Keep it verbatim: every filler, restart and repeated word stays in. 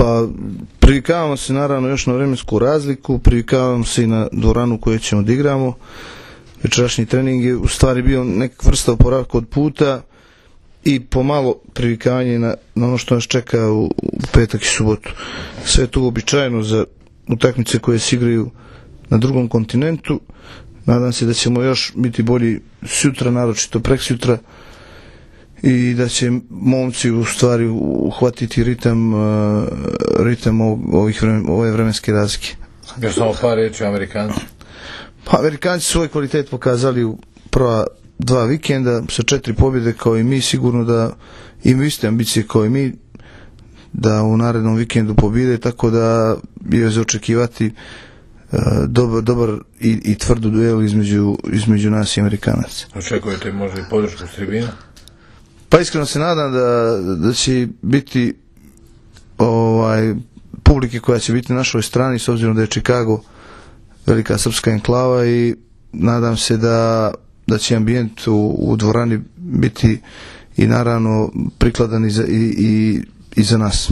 Pa privikavamo se naravno još na vremensku razliku, privikavamo se i na dvoranu koju ćemo da igramo. Večerašnji trening je u stvari bio neka vrsta oporavka od puta i pomalo privikavanje na, na ono što nas čeka u, u petak i subotu. Sve je to uobičajeno za utakmice koje se igraju na drugom kontinentu. Nadam se da ćemo još biti bolji sutra, naročito preksutra, i da će momci u stvari uhvatiti ritam, ritam ovih vremen, ove vremenske razlike. Još samo par riječi o Amerikanci. Pa, Amerikanci svoj kvalitet pokazali u prva dva vikenda sa četiri pobjede kao i mi, sigurno da imaju iste ambicije kao i mi da u narednom vikendu pobjede, tako da je za očekivati uh, dobar, dobar i, i tvrdu duelu između, između nas i Amerikanaca. Očekujete možda i podršku s tribina? Pa iskreno se nadam da, da će biti ovaj, publike koja će biti na našoj strani, s obzirom da je Chicago velika srpska enklava, i nadam se da, da će ambijent u, u dvorani biti i naravno prikladan i za, i, i, i za nas.